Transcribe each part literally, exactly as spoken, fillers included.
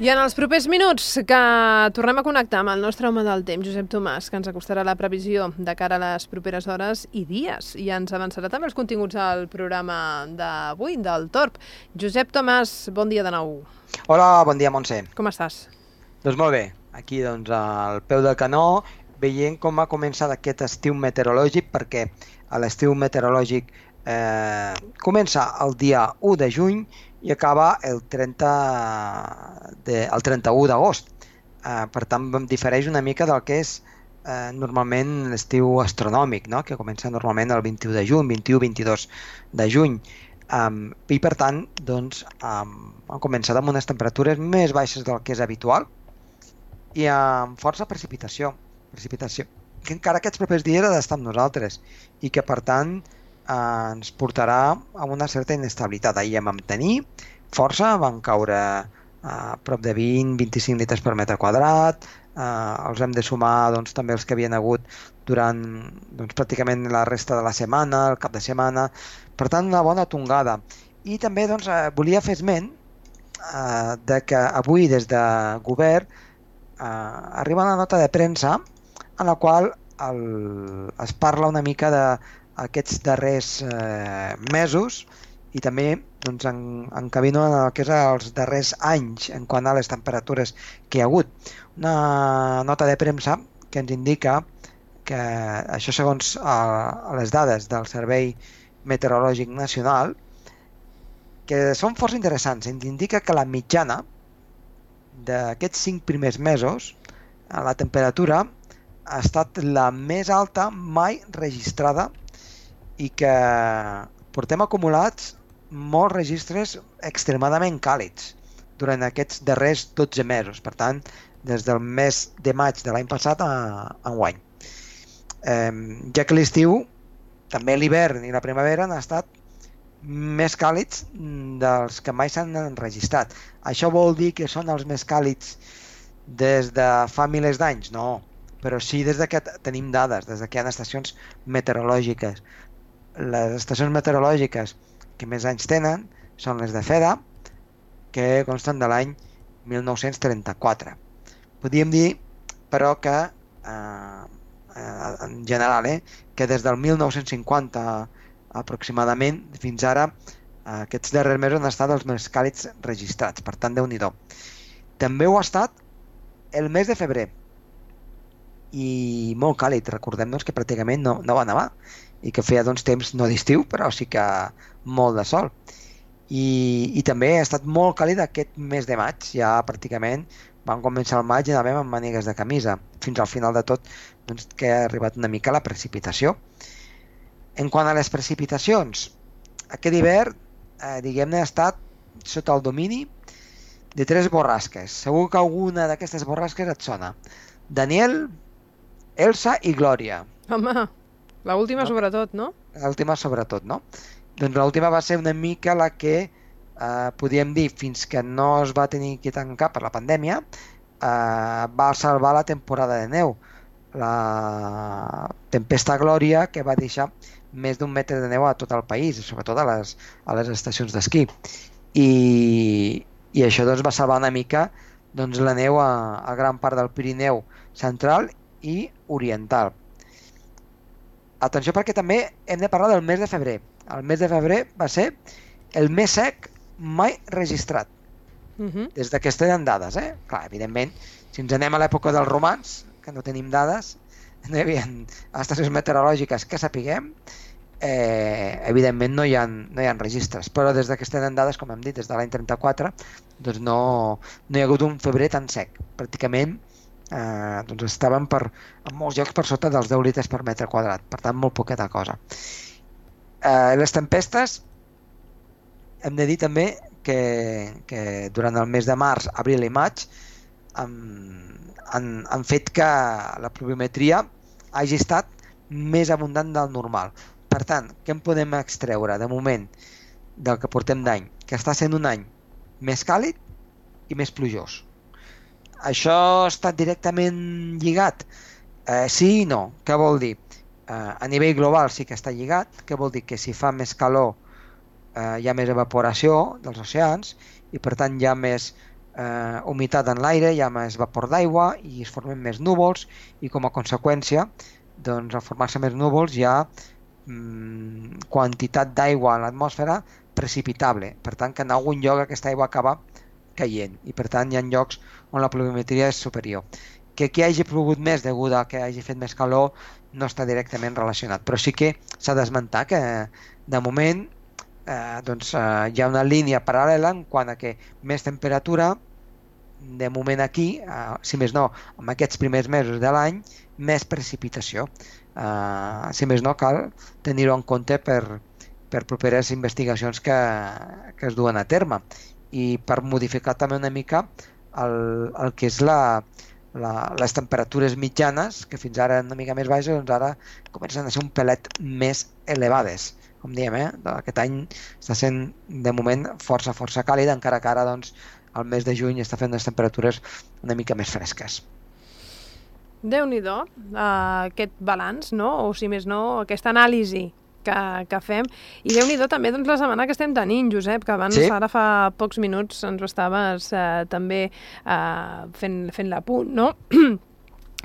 I en els propers minuts que tornem a connectar amb el nostre home del temps, Josep Tomàs, que ens acostarà la previsió de cara a les properes hores i dies, i ens avançarà també els continguts del programa d'avui, del Torb. Josep Tomàs, bon dia de nou. Hola, bon dia, Montse. Com estàs? Doncs molt bé, aquí doncs al peu del canó, veient com ha començat aquest estiu meteorològic, perquè l'estiu meteorològic eh, comença el dia u de juny i acaba el trenta de, el trenta-u d'agost. Eh, per tant, difereix una mica del que és eh, normalment l'estiu astronòmic, no? Que comença normalment el vint-i-u de juny, vint-i-u vint-i-dos de juny. Um, I per tant, doncs, um, han començat amb unes temperatures més baixes del que és habitual i amb força precipitació. Precipitació que encara aquests propers dies ha d'estar amb nosaltres i que, per tant, eh, ens portarà a una certa inestabilitat. Ahir vam tenir força, van caure a prop de vint a vint-i-cinc litres per metre quadrat, eh, els hem de sumar doncs, també els que havien hagut durant doncs, pràcticament la resta de la setmana, el cap de setmana, per tant una bona tongada. I també doncs, eh, volia fer esment eh, de que avui des de govern eh, arriba una nota de premsa en la qual el, es parla una mica d'aquests darrers eh, mesos i també doncs, en, encabino en el que és els darrers anys en quant a les temperatures que hi ha hagut. Una nota de premsa que ens indica que això segons eh, les dades del Servei Meteorològic Nacional, que són força interessants. Ens indica que la mitjana d'aquests cinc primers mesos, la temperatura ha estat la més alta mai registrada i que portem acumulats molts registres extremadament càlids durant aquests darrers dotze mesos, per tant, des del mes de maig de l'any passat a enguany. Eh, ja que l'estiu, també l'hivern i la primavera han estat més càlids dels que mai s'han enregistrat. Això vol dir que són els més càlids des de fa milers d'anys? No, però sí des de que tenim dades, des de que hi ha estacions meteorològiques. Les estacions meteorològiques que més anys tenen són les de FEDA, que consten de l'any mil nou-cents trenta-quatre. Podríem dir, però, que eh, en general, eh, que des del mil nou-cents cinquanta aproximadament fins ara, eh, aquests darrers mesos han estat els més càlids registrats, per tant, Déu-n'hi-do. També ho ha estat el mes de febrer, i molt càlid. Recordem doncs, que pràcticament no, no va nevar i que feia doncs, temps no d'estiu, però sí que molt de sol. I, i també ha estat molt càlid aquest mes de maig. Ja pràcticament vam començar el maig i anàvem amb mànigues de camisa, fins al final de tot doncs, que ha arribat una mica la precipitació. En quant a les precipitacions, aquest hivern eh, diguem-ne ha estat sota el domini de tres borrasques. Segur que alguna d'aquestes borrasques et sona. Daniel, Elsa i Glòria. Home, l'última no? sobretot, no? L'última sobretot, no? Doncs l'última va ser una mica la que, eh, podríem dir, fins que no es va tenir que tancar per la pandèmia, eh, va salvar la temporada de neu. La tempesta Glòria, que va deixar més d'un metre de neu a tot el país, sobretot a les, a les estacions d'esquí. I, i això doncs, va salvar una mica doncs, la neu a, a gran part del Pirineu central i oriental. Atenció, perquè també hem de parlar del mes de febrer. El mes de febrer va ser el més sec mai registrat. Uh-huh. Des de que es tenen dades, eh? Clar, evidentment, si ens anem a l'època dels romans, que no tenim dades, no hi havia estacions meteorològiques que sapiguem, eh, evidentment no hi ha, no hi ha registres, però des de que es tenen dades, com hem dit, des de l'any trenta-quatre, doncs no, no hi ha hagut un febrer tan sec. Pràcticament eh, doncs estaven per, en molts llocs per sota dels deu litres per metre quadrat, per tant molt poqueta cosa. Eh, les tempestes, hem de dir també que, que durant el mes de març, abril i maig han, han, han fet que la pluviometria hagi estat més abundant del normal. Per tant, què en podem extreure de moment del que portem d'any? Que està sent un any més càlid i més plujós. Això ha estat directament lligat? Eh, sí i no. Què vol dir? Eh, a nivell global sí que està lligat. Què vol dir? Que si fa més calor eh, hi ha més evaporació dels oceans i per tant hi ha més eh, humitat en l'aire, hi ha més vapor d'aigua i es formen més núvols i com a conseqüència, doncs, al formar-se més núvols hi ha mm, quantitat d'aigua en l'atmosfera precipitable. Per tant, que en algun lloc aquesta aigua acaba caient i per tant hi ha llocs on la pluviometria és superior. Que aquí hagi plogut més degut a que hagi fet més calor no està directament relacionat, però sí que s'ha d'esmentar que de moment eh, doncs, eh, hi ha una línia paral·lela en quant a que més temperatura, de moment aquí, eh, si més no, en aquests primers mesos de l'any, més precipitació. Eh, si més no, cal tenir-ho en compte per, per properes investigacions que, que es duen a terme i per modificar també una mica el, el que és la, la, les temperatures mitjanes, que fins ara una mica més baixes, doncs ara comencen a ser un pelet més elevades. Com diem, eh? Aquest any està sent de moment força, força càlid, encara que ara doncs, el mes de juny està fent unes temperatures una mica més fresques. Déu-n'hi-do, uh, aquest balanç, no? O si més no, aquesta anàlisi que, que fem. I Déu-n'hi-do també doncs, la setmana que estem tenint, Josep, que abans, sí? Ara fa pocs minuts ens ho estaves uh, també uh, fent, fent l'apunt, no?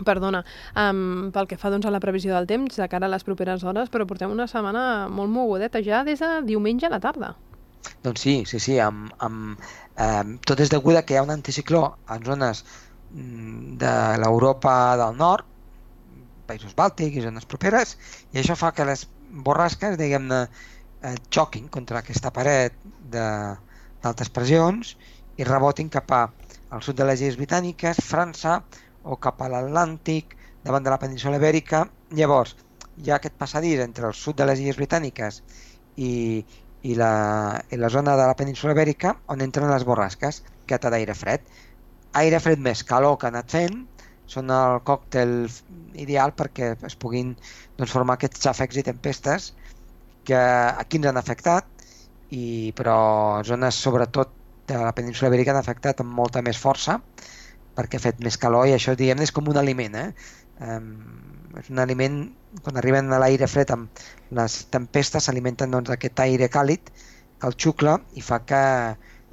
Perdona, um, pel que fa doncs, a la previsió del temps de cara a les properes hores, però portem una setmana molt mogudeta ja des de diumenge a la tarda. Doncs sí, sí, sí, amb, amb, eh, tot és degut a que hi ha un anticicló en zones de l'Europa del Nord, països bàltics i zones properes, i això fa que les borrasques, diguem-ne, eh, xoquin contra aquesta paret d'altes pressions i rebotin cap al sud de les Illes Britàniques, França, o cap a l'Atlàntic, davant de la península Ibèrica. Llavors, hi ha aquest passadís entre el sud de les Illes Britàniques i, i, la, i la zona de la península Ibèrica on entren les borrasques, que té d'aire fred. Aire fred més calor que ha anat fent, són el còctel ideal perquè es puguin doncs, formar aquests xàfecs i tempestes que aquí ens han afectat, i, però zones sobretot de la península Ibèrica han afectat amb molta més força, perquè ha fet més calor i això diguem és com un aliment. Eh? Um, és un aliment, quan arriben a l'aire fred amb les tempestes s'alimenten doncs, d'aquest aire càlid que el xucla i fa que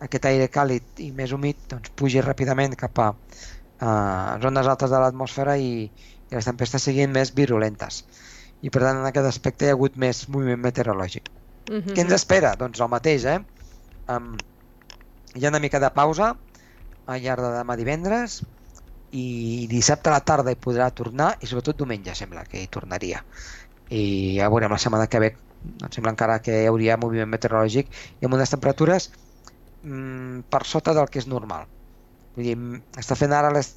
aquest aire càlid i més humit doncs, pugi ràpidament cap a uh, zones altes de l'atmosfera i, i les tempestes siguin més virulentes. I per tant en aquest aspecte hi ha hagut més moviment meteorològic. Mm-hmm. Què ens espera? Doncs el mateix. Eh? Um, hi ha una mica de pausa al llarg de demà divendres i dissabte a la tarda hi podrà tornar i sobretot diumenge sembla que hi tornaria i ja veurem la setmana que ve, em sembla encara que hi hauria moviment meteorològic i amb unes temperatures mm, per sota del que és normal. Vull dir, està fent ara les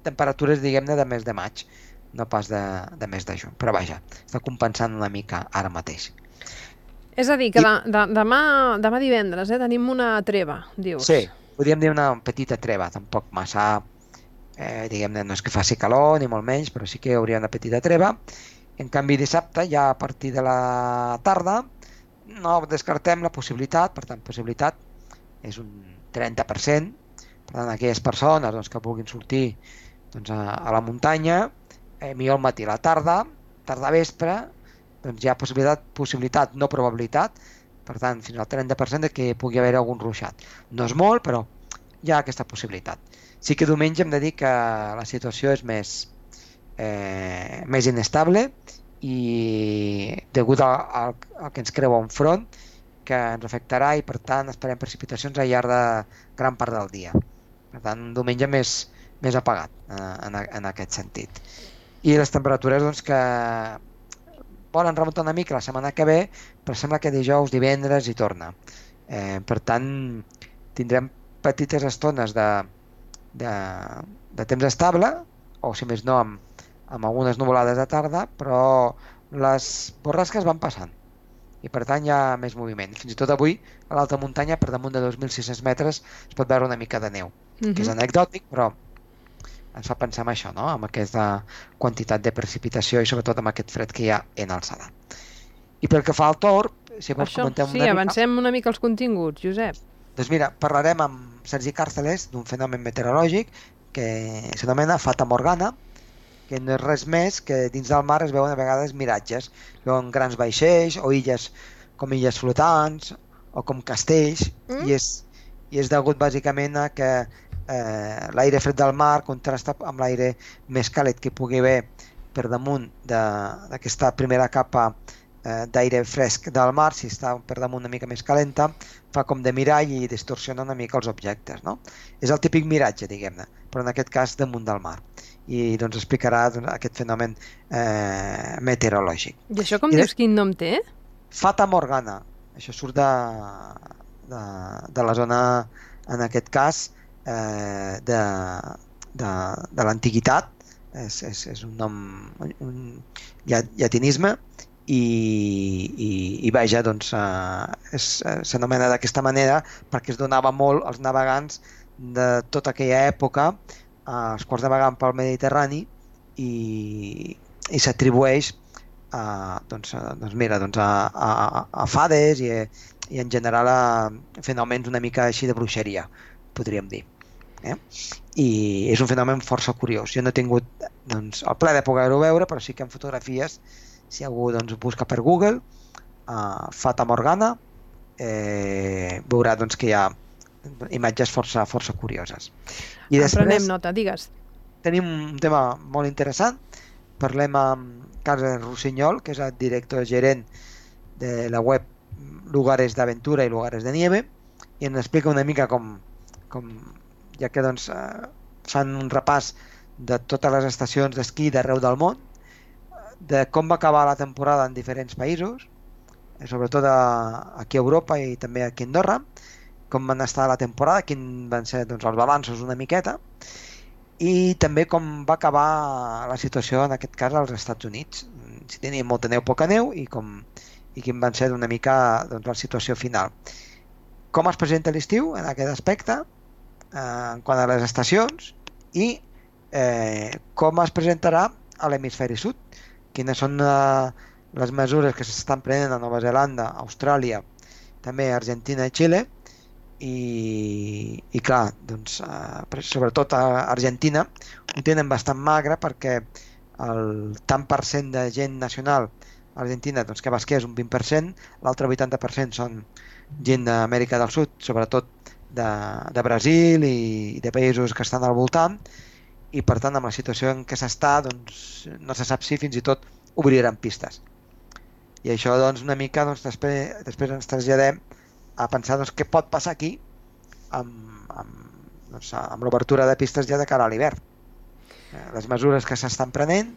temperatures diguem-ne de mes de maig, no pas de, de mes de juny, però vaja, està compensant una mica ara mateix. És a dir, que I... de, de, demà, demà divendres eh, tenim una treva, dius. Sí, podríem dir una petita treva, tampoc massa, eh, diguem-ne, no és que faci calor ni molt menys, però sí que hi hauria una petita treva. En canvi dissabte, ja a partir de la tarda, no descartem la possibilitat, per tant, possibilitat és un trenta per cent, per tant, aquelles persones doncs, que vulguin sortir doncs, a, a la muntanya, eh, millor al matí, a la tarda, tarda vespre, doncs hi ha possibilitat, possibilitat, no probabilitat, per tant, fins al trenta per cent de que pugui haver algun ruixat. No és molt, però hi ha aquesta possibilitat. Sí que diumenge hem de dir que la situació és més, eh, més inestable i degut al, al, al que ens creua un front que ens afectarà i, per tant, esperem precipitacions al llarg de gran part del dia. Per tant, un diumenge més, més apagat eh, en, en aquest sentit. I les temperatures doncs, que volen remuntar una mica la setmana que ve, però sembla que dijous, divendres hi torna. Eh, per tant, tindrem petites estones de, de, de temps estable, o si més no, amb, amb algunes nuvolades de tarda, però les borrasques van passant i per tant hi ha més moviment. Fins i tot avui, a l'alta muntanya, per damunt de dos mil sis-cents metres, es pot veure una mica de neu, mm-hmm. que és anecdòtic, però ens fa pensar en això, no? Amb aquesta quantitat de precipitació i sobretot amb aquest fred que hi ha en alçada. I pel que fa al torb, si vols això, comentem sí, una mica... avancem una mica els continguts, Josep. Doncs mira, parlarem amb Sergi Càrceles d'un fenomen meteorològic que s'anomena Fata Morgana, que no és res més que dins del mar es veuen a vegades miratges, veuen grans vaixells o illes com illes flotants o com castells, mm. i és i és degut bàsicament a que eh, l'aire fred del mar contrasta amb l'aire més càlid que hi pugui haver per damunt d'aquesta primera capa eh, d'aire fresc del mar. Si està per damunt una mica més calenta, fa com de mirall i distorsiona una mica els objectes, no? És el típic miratge, diguem-ne, però en aquest cas damunt del mar. I doncs explicarà doncs, aquest fenomen eh, meteorològic. I això com I dius, quin nom té? Fata Morgana. Això surt de, de, de la zona, en aquest cas, eh, de, de, de l'antiguitat. És, és, és un nom, un llatinisme, i, i, i vaja, doncs, eh, s'anomena d'aquesta manera perquè es donava molt als navegants de tota aquella època, els quals navegant pel Mediterrani, i, i s'atribueix a, doncs, doncs mira, doncs a, a, a fades i, i en general a fenòmens una mica així de bruixeria, podríem dir. Eh? I és un fenomen força curiós. Jo no he tingut doncs, el plaer de poder-ho veure, però sí que en fotografies, si algú doncs, busca per Google, uh, Fata Morgana, eh, veurà doncs, que hi ha imatges força, força curioses. I després, prenem nota, digues. Tenim un tema molt interessant. Parlem amb Carles Rossinyol, que és el director gerent de la web Lugares d'Aventura i Lugares de Nieve, i ens explica una mica com, com ja que doncs, eh, fan un repàs de totes les estacions d'esquí d'arreu del món, de com va acabar la temporada en diferents països, sobretot a, aquí a Europa i també aquí a Andorra, com van estar la temporada, quin van ser doncs, els balanços una miqueta, i també com va acabar la situació en aquest cas als Estats Units, si tenia molta neu, poca neu, i, com, i quin van ser una mica doncs, la situació final. Com es presenta l'estiu en aquest aspecte, eh, en quant a les estacions, i eh, com es presentarà a l'hemisferi sud, quines són eh, les mesures que s'estan prenent a Nova Zelanda, Austràlia, també Argentina i Xile, i, i clar, doncs, eh, sobretot a Argentina ho tenen bastant magre perquè el tant per cent de gent nacional a Argentina doncs, que va esquiar és un vint per cent, l'altre vuitanta per cent són gent d'Amèrica del Sud, sobretot de, de Brasil i, i de països que estan al voltant, i per tant amb la situació en què s'està doncs, no se sap si fins i tot obriran pistes. I això doncs, una mica doncs, després, després ens traslladem a pensar doncs, què pot passar aquí amb, amb, doncs, amb l'obertura de pistes ja de cara a l'hivern. Les mesures que s'estan prenent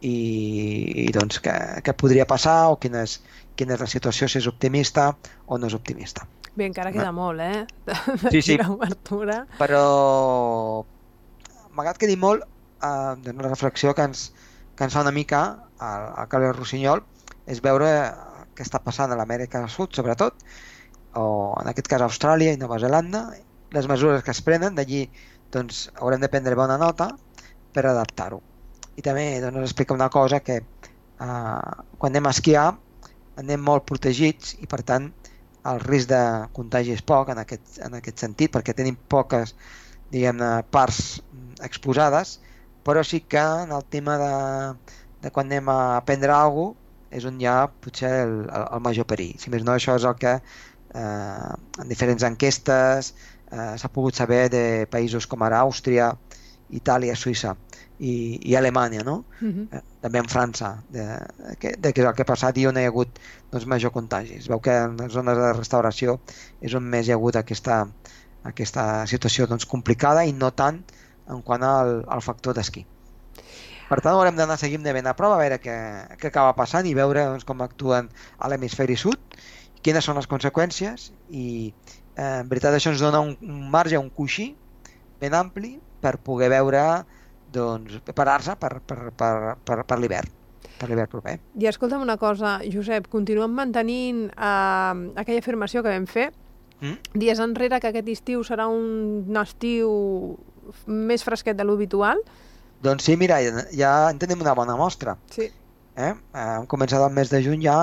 i, i doncs, què, què podria passar o quina és, quina és la situació, si és optimista o no és optimista. Bé, encara queda no? molt, eh? De sí, sí. l'obertura. Però malgrat que quedi molt, eh, doncs, la reflexió que ens, que ens fa una mica al, al Carles Rossinyol és veure què està passant a l'Amèrica del Sud, sobretot, o en aquest cas Austràlia i Nova Zelanda, les mesures que es prenen, d'allí doncs, haurem de prendre bona nota per adaptar-ho. I també doncs, ens explica una cosa, que eh, quan anem a esquiar anem molt protegits i per tant el risc de contagi és poc en aquest, en aquest sentit, perquè tenim poques diguem-ne parts exposades, però sí que en el tema de, de quan anem a aprendre alguna cosa és on hi ha potser el, el, el major perill. Si més no, això és el que eh, en diferents enquestes eh, s'ha pogut saber de països com ara Àustria, Itàlia, Suïssa i, i Alemanya, no? Uh-huh. eh, també en França, de, de, de què és el que ha passat i on hi ha hagut doncs, major contagi. Es veu que en les zones de restauració és on més hi ha hagut aquesta, aquesta situació doncs, complicada i no tant en quant al, al factor d'esquí. Per tant, haurem d'anar seguint de ben a prova a veure què, què acaba passant i veure doncs, com actuen a l'hemisferi sud, quines són les conseqüències i eh, en veritat això ens dona un, un marge, un coixí ben ampli per poder veure, doncs, preparar-se per, per, per, per, per l'hivern, per l'hivern proper. I escolta'm una cosa, Josep, continuem mantenint eh, aquella afirmació que vam fer mm? dies enrere, que aquest estiu serà un estiu més fresquet de l'habitual. Doncs sí, mira, ja en tenim una bona mostra. Sí. Eh? Hem començat el mes de juny ja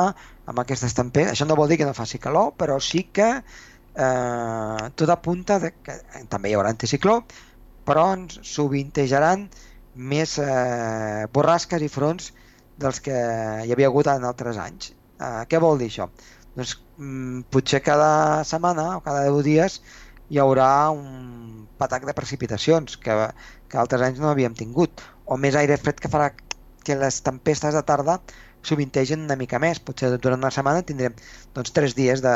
amb aquestes temperatures. Això no vol dir que no faci calor, però sí que eh, tot apunta de que també hi haurà anticicló, però ens sovintejaran més eh, borrasques i fronts dels que hi havia hagut en altres anys. Eh, què vol dir això? Doncs mm, potser cada setmana o cada deu dies hi haurà un patac de precipitacions que, que altres anys no havíem tingut, o més aire fred que farà que les tempestes de tarda sovintegen una mica més. Potser durant una setmana tindrem doncs, tres dies de,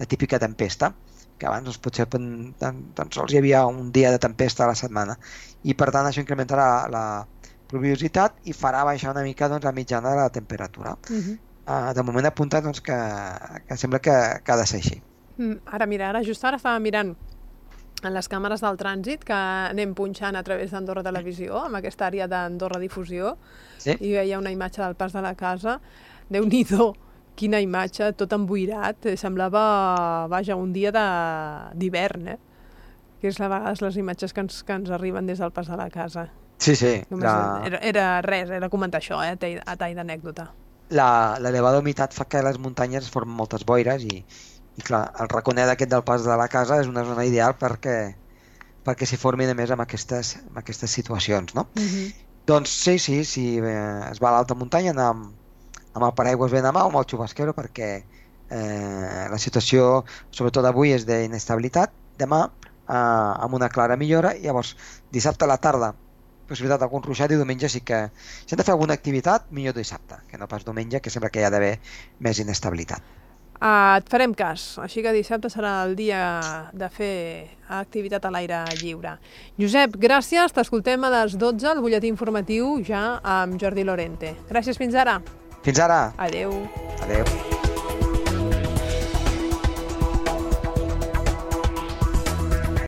de típica tempesta, que abans doncs, potser tan, tan sols hi havia un dia de tempesta a la setmana, i per tant això incrementarà la pluviositat i farà baixar una mica doncs, la mitjana de la temperatura. Uh-huh. uh, de moment apunta doncs, que, que sembla que, que ha de ser així. Mm, ara mira, ara just ara estava mirant en les càmeres del trànsit que anem punxant a través d'Andorra Televisió, amb aquesta àrea d'Andorra Difusió, sí? I veia una imatge del pas de la casa. Déu-n'hi-do, quina imatge, tot emboirat, semblava, vaja, un dia d'hivern, eh? Que és a vegades les imatges que ens, que ens arriben des del pas de la casa. Sí, sí. La... Era, era res, era comentar això, eh, a tall d'anècdota. L'elevada humitat fa que les muntanyes formen moltes boires i, i clar, el raconet aquest del pas de la casa és una zona ideal perquè, perquè s'hi formin a més amb aquestes, amb aquestes situacions, no? Uh-huh. Doncs sí, sí, sí, es va a l'alta muntanya anar amb, amb el paraigües ben a mà o amb el xubasquero perquè eh, la situació, sobretot avui, és d'inestabilitat, demà eh, amb una clara millora, i llavors dissabte a la tarda possibilitat d'algun ruixat, i diumenge sí que si hem de fer alguna activitat, millor dissabte, que no pas diumenge, que sembla que hi ha d'haver més inestabilitat. Uh, et farem cas, així que dissabte serà el dia de fer activitat a l'aire lliure. Josep, gràcies, t'escoltem a les dotze, el butlletí informatiu ja amb Jordi Lorente. Gràcies, fins ara. Fins ara. Adeu. Adeu.